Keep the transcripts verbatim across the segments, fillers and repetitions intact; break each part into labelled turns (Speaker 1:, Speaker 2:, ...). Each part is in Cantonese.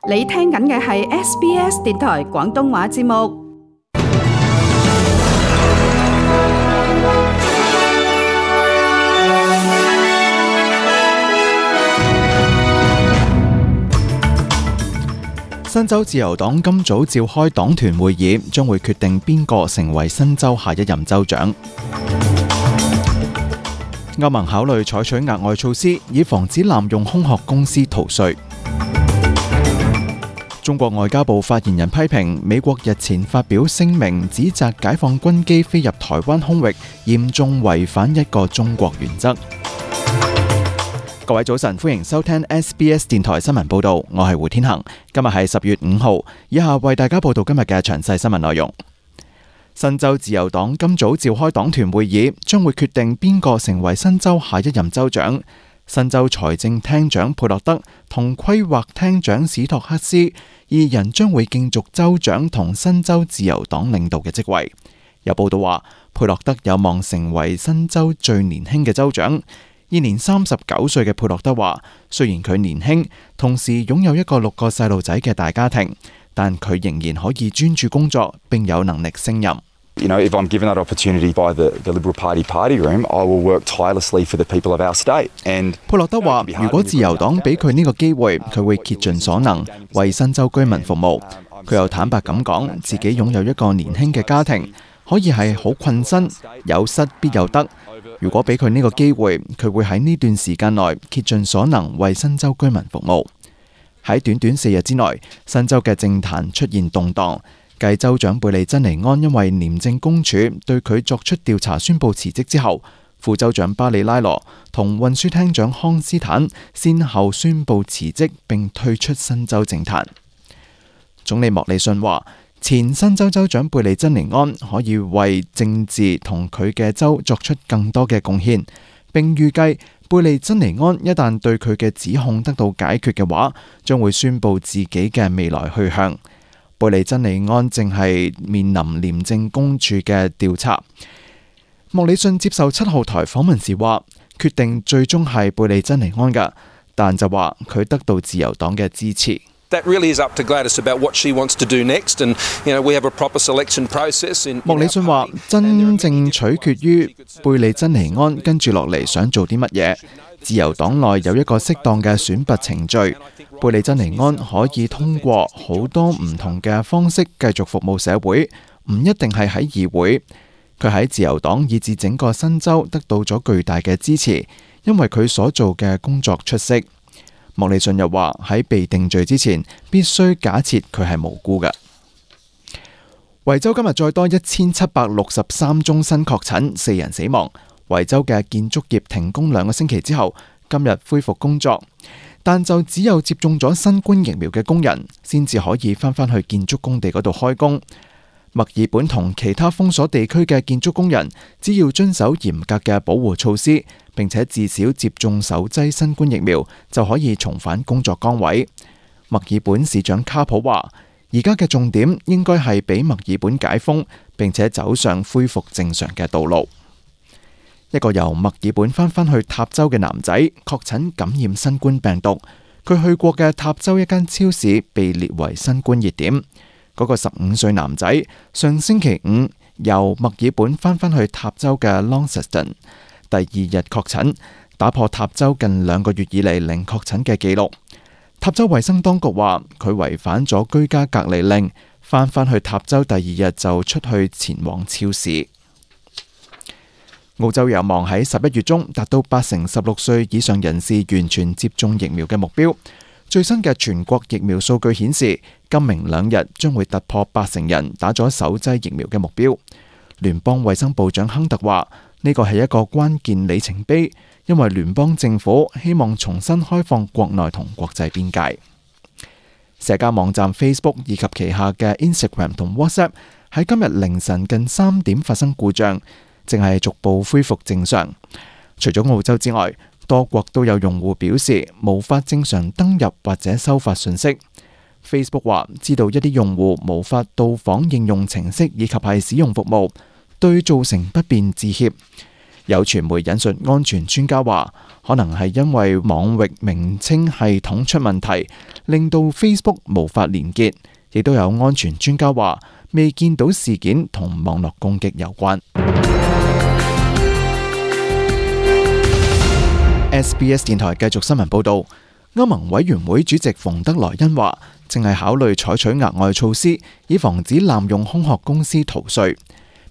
Speaker 1: 你聽緊嘅係 S B S 電台廣東話節目。
Speaker 2: 新州自由黨今早召開黨團會議，將會決定邊個成為新州下一任州長。歐盟考慮採取額外措施，以防止濫用空殼公司逃稅。中國外交部發言人批評美國日前發表聲明，指責解放軍機飛入台灣空域，嚴重違反一個中國原則。各位早晨，歡迎收聽 S B S 電台新聞報道，我係胡天恒。今日係十月五號，以下為大家報道今日嘅詳細新聞內容。新州自由黨今早召開黨團會議，將會決定邊個成為新州下一任州長。新州財政廳長佩洛德同規劃廳長史托克斯二人將會競逐州長同新州自由黨領導嘅職位。有報道話，佩洛德有望成為新州最年輕嘅州長。現年三十九歲嘅佩洛德話，雖然佢年輕，同時擁有一個六個細路仔嘅大家庭，但佢仍然可以專注工作，並有能力勝任。
Speaker 3: You know, if I'm given that opportunity by the, the Liberal Party party room, I will work tirelessly for the people of our state. And
Speaker 2: 佩洛德話，如果自由黨俾佢呢個機會，佢會竭盡所能為新州居民服務。佢又坦白咁講，自己擁有一個年輕嘅家庭，可以係好困身，有失必有得。如果俾佢呢個機會，佢會喺呢段時間內竭盡所能為新州居民服務。喺短短四日之內，新州嘅政壇出現動盪。繼州長貝利珍尼安因為廉政公署對佢作出調查宣布辭職之後，副州長巴里拉羅同運輸廳長康斯坦先後宣布辭職並退出新州政壇。總理莫里遜話，前新州州長貝利珍尼安可以為政治同佢嘅州作出更多嘅貢獻，並預計貝利珍尼安一旦對佢嘅指控得到解決嘅話，將會宣布自己嘅未來去向。貝利珍尼安正係面臨廉政公署嘅調查。莫里遜接受七號台訪問時話，決定最終係貝利珍尼安㗎，但就話佢得到自由黨嘅支持。
Speaker 4: That really is up to Gladys about what she wants to do next, and you know we have a proper selection process. In
Speaker 2: 莫里遜話，真正取決於貝利珍尼安跟住落嚟想做啲乜嘢。自由黨內有一個適當嘅選拔程序，貝利珍尼安可以通過好多唔同嘅方式繼續服務社會，唔一定係喺議會。佢喺自由黨以至整個新州得到咗巨大嘅支持，因為佢所做嘅工作出色。莫里遜又話，喺被定罪之前，必須假設佢係無辜嘅。維州今日再多一千七百六十三宗新確診，四人死亡。維州嘅建築業停工兩個星期之後，今日恢復工作，但就只有接種咗新冠疫苗嘅工人先至可以翻返去建築工地嗰度開工。墨爾本同其他封鎖地區嘅建築工人，只要遵守嚴格嘅保護措施，並且至少接種首劑新冠疫苗，就可以重返工作崗位。墨爾本市長卡普話，而家嘅重點應該係俾墨爾本解封，並且走上恢復正常嘅道路。一個由墨爾本翻返去塔州嘅男仔確診感染新冠病毒，佢去過嘅塔州一間超市被列為新冠熱點。嗰個十五歲男仔上星期五由墨爾本翻返去塔州嘅 Launceston， 第二日確診，打破塔州近兩個月以嚟零確診嘅記錄。塔州衛生當局話佢違反咗居家隔離令，翻返去塔州第二日就出去前往超市。澳洲有望喺十一月中達到八成十六歲以上人士完全接種疫苗嘅目標。最新嘅全國疫苗數據顯示，今明兩日將會突破八成人打咗首劑疫苗嘅目標。聯邦衛生部長亨特話，呢個係一個關鍵里程碑，因為聯邦政府希望重新開放國內同國際邊界。社交網站 Facebook 以及旗下嘅 Instagram 同 WhatsApp 喺今日凌晨近三點發生故障，正係逐步恢復正常。除咗澳洲之外，多國都有用戶表示無法正常登入或者收發信息。Facebook 話知道一啲用戶無法到訪應用程式以及係使用服務，對造成不便致歉。有傳媒引述安全專家話，可能係因為網域名稱系統出問題，令到 Facebook 無法連結。亦都有安全專家話，未見到事件同網絡攻擊有關。S B S 電台繼續新聞報導，歐盟委員會主席馮德萊恩話，正係考慮採取額外措施，以防止濫用空殼公司逃稅。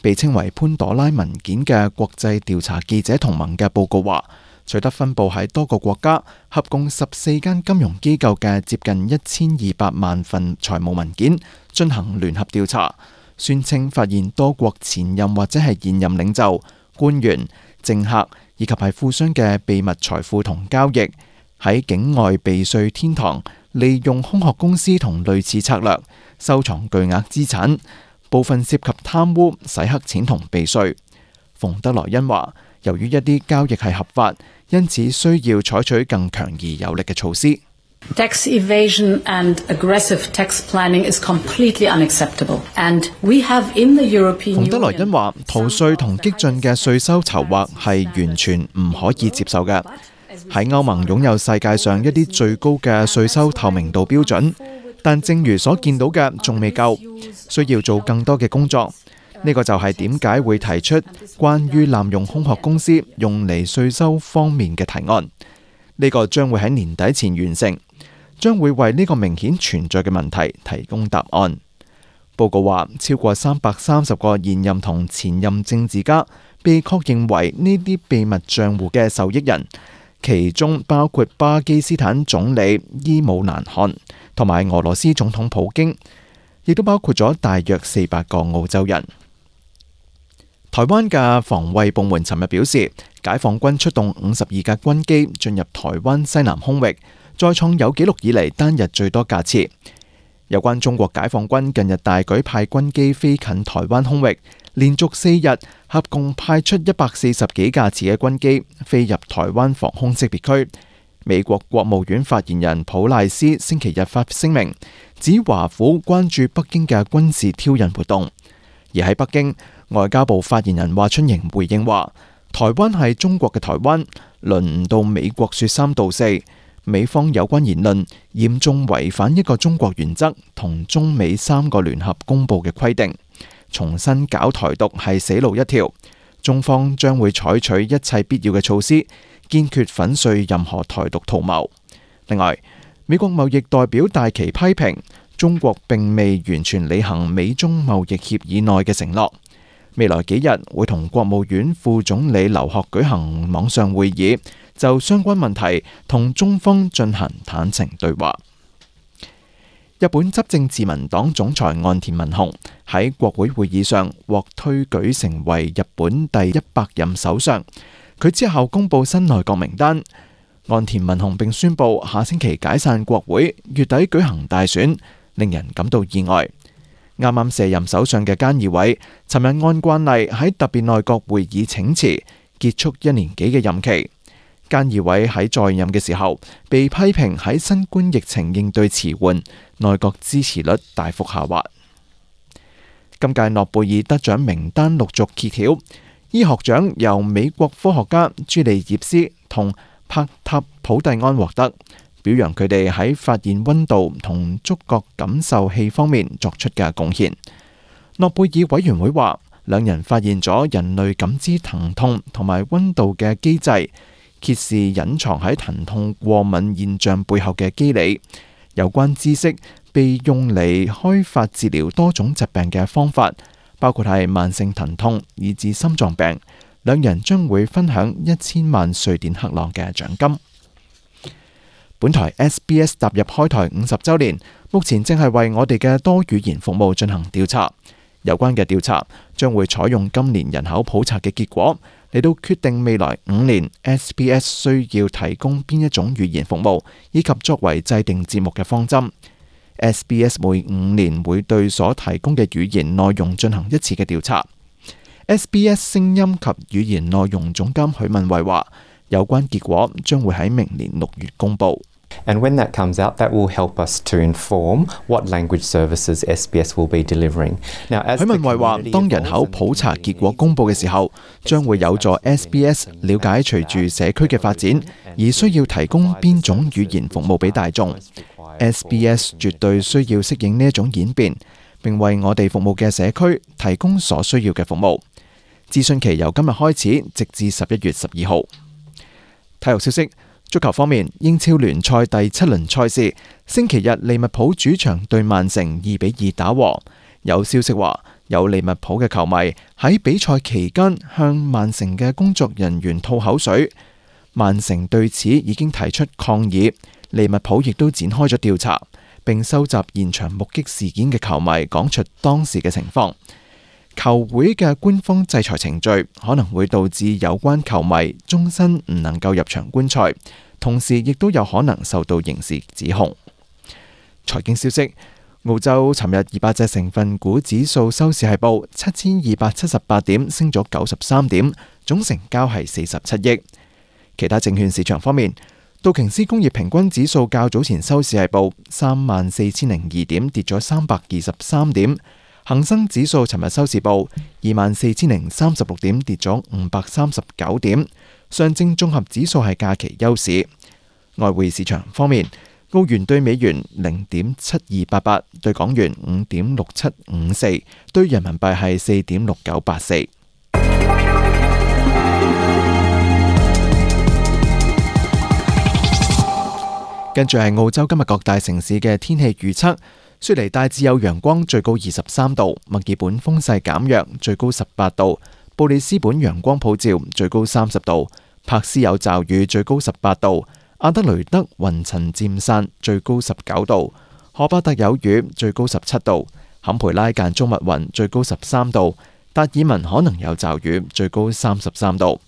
Speaker 2: 被稱為潘朵拉文件嘅國際調查記者同盟嘅報告話，取得分佈喺多個國家、合共十四間金融機構嘅接近一千二百萬份財務文件，進行聯合調查，宣稱發現多國前任或者係現任領袖、官員、政客以及係富商嘅秘密財富同交易，喺境外避稅天堂，利用空殼公司同類似策略收藏巨額資產，部分涉及貪污、洗黑錢同避稅。馮德萊恩話，由於一啲交易係合法，因此需要採取更強而有力嘅措施。
Speaker 5: Tax evasion and aggressive tax planning is completely unacceptable, and we have in the European Union。馮德萊恩話，逃稅同激進嘅稅收籌劃係完全唔可以接受嘅。喺歐盟擁有世界上一啲最高嘅稅收透明度標準，但正如所見到嘅，仲未夠，需要做更多嘅工作。呢個就係點解會提出關於濫用空殼公司用嚟稅收方面嘅提案。呢個將會喺年底前完成，將會為呢個明顯存在嘅問題提供答案。報告話，超過三百三十個現任同前任政治家被確認為呢啲秘密賬戶嘅受益人，其中包括巴基斯坦總理伊姆蘭汗同埋俄羅斯總統普京，亦都包括咗大約四百個澳洲人。台灣嘅防衛部門尋日表示，解放軍出動五十二架軍機進入台灣西南空域，再創有紀錄以嚟單日最多架次。有關中國解放軍近日大舉派軍機飛近台灣空域，連續四日合共派出一百四十幾架次嘅軍機飛入台灣防空識別區。美國國務院發言人普賴斯星期日發聲明，指華府關注北京嘅軍事挑釁活動。而喺北京，外交部發言人華春瑩回應話，台灣係中國嘅台灣，輪唔到美國說三道四。美方有關言論嚴重違反一個中國原則同中美三個聯合公報嘅規定，重新搞台獨係死路一條。中方將會採取一切必要嘅措施，堅決粉碎任何台獨圖謀。另外，美國貿易代表戴琪批評中國並未完全履行美中貿易協議內嘅承諾。未來幾日會同國務院副總理劉鶴舉行網上會議，就相關問題同中方進行坦誠對話。日本執政自民黨總裁岸田文雄喺國會會議上獲推舉成為日本第一百任首相，佢之後公布新內閣名單。岸田文雄並宣布下星期解散國會，月底舉行大選，令人感到意外。啱啱卸任首相嘅菅義偉，尋日按慣例喺特別內閣會議請辭，結束一年幾嘅任期。菅義偉喺在任嘅時候，被批評喺新冠疫情應對遲緩，內閣支持率大幅下滑。今屆諾貝爾得獎名單陸續揭曉，醫學獎由美國科學家朱利葉斯同帕塔普蒂安獲得，表揚佢哋喺發現溫度同觸覺感受器方面作出嘅貢獻。諾貝爾委員會話，兩人發現咗人類感知疼痛同埋溫度嘅機制，揭示隱藏喺疼痛過敏現象背後嘅機理。有關知識被用嚟開發治療多種疾病嘅方法，包括係慢性疼痛以至心臟病。兩人將會分享一千萬瑞典克朗嘅獎金。本台 S B S 踏入開台五十週年，目前正係為我哋嘅多語言服務進行調查。有關嘅調查將會採用今年人口普查嘅結果嚟到決定未來五年 S B S 需要提供邊一種語言服務，以及作為制定節目嘅方針。S B S 每五年會對所提供嘅語言內容進行一次嘅調查。S B S 聲音及語言內容總監許文慧話，有關結果將會喺明年六月公佈。
Speaker 6: And when that comes out, that will help us to inform what language services S B S will be delivering. Now, as
Speaker 2: 許文慧話，當人口普查結果公佈嘅時候，將會有助 S B S 了解隨住社區嘅發展，而需要提供邊種語言服務俾大眾。S B S 絕對需要適應呢一種演變，並為我哋服務嘅社區提供所需要嘅服務。諮詢期由今日開始，直至十一月十二號。體育消息。足球方面，英超聯賽第七輪賽事，星期日利物浦主場對曼城二比二打和。有消息話，有利物浦嘅球迷喺比賽期間向曼城嘅工作人員吐口水，曼城對此已經提出抗議，利物浦亦都展開咗調查，並收集現場目擊事件嘅球迷講出當時嘅情況。球會嘅官方制裁程序可能會導致有關球迷終身唔能夠入場觀賽，同時亦都有可能受到刑事指控。財經消息，澳洲尋日二百隻成分股指數收市係報七千二百七十八點，升咗九十三點，總成交係四十七億。其他證券市場方面，道瓊斯工業平均指數較早前收市係報三萬四千零二點，跌咗三百二十三點。恒生指數尋日收市報二萬四千零三十六點，跌咗五百三十九點。上證綜合指數係假期休市。外匯市場方面，澳元對美元零點七二八八，對港元五點六七五四，對人民幣係四點六九八四。跟住係澳洲今日各大城市嘅天氣預測。雪梨大致有陽光，最高二十三度；墨爾本風勢減弱，最高十八度；布里斯本陽光普照，最高三十度；柏斯有驟雨，最高十八度；阿德雷德雲層漸散，最高十九度；荷巴特有雨，最高十七度；坎培拉間中密雲，最高十三度；達爾文可能有驟雨，最高三十三度。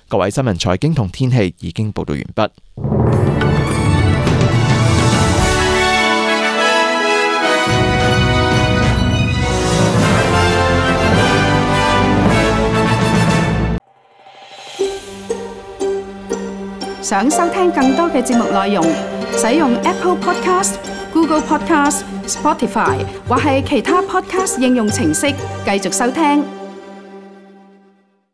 Speaker 2: 各位新聞財經同天氣已經報道完畢。
Speaker 1: 想收聽更多嘅節目內容，使用 Apple Podcast、Google Podcast、Spotify 或係其他 Podcast 應用程式繼續收聽。